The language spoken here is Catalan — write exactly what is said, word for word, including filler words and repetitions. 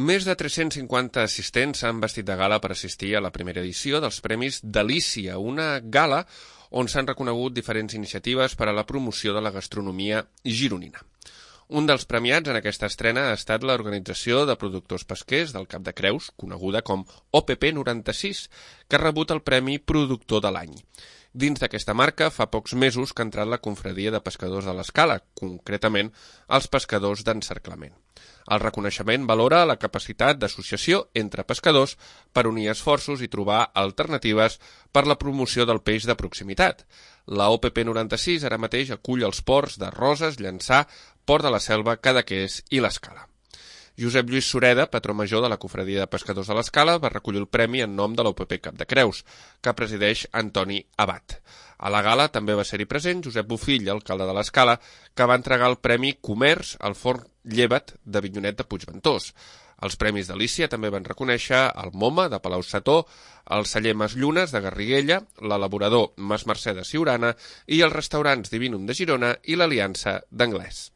Més de tres-cents cinquanta assistents s'han vestit de gala per assistir a la primera edició dels Premis Delícia, una gala on s'han reconegut diferents iniciatives per a la promoció de la gastronomia gironina. Un dels premiats en aquesta estrena ha estat l'Organització de Productors Pesquers del Cap de Creus, coneguda com O P P noranta-sis, que ha rebut el Premi Productor de l'Any. Dins d'aquesta marca, fa pocs mesos que ha entrat la confraria de pescadors de l'Escala, concretament els pescadors d'encerclament. El reconeixement valora la capacitat d'associació entre pescadors per unir esforços i trobar alternatives per la promoció del peix de proximitat. La O P P noranta-sis ara mateix acull els ports de Roses, Llançà, Port de la Selva, Cadaqués i l'Escala. Josep Lluís Sureda, patró major de la confraria de pescadors de l'Escala, va recollir el premi en nom de l'O P P Cap de Creus, que presideix Antoni Abat. A la gala també va ser-hi present Josep Bofill, alcalde de l'Escala, que va entregar el Premi Comerç al Forn Llevat de Vinyonet de Puigventós. Els Premis Delícia també van reconèixer el MoMA de Palau-Sató, el celler Mas Llunes de Garriguella, l'elaborador Mas Mercè de Siurana i els restaurants Divinum de Girona i l'Aliança d'Anglès.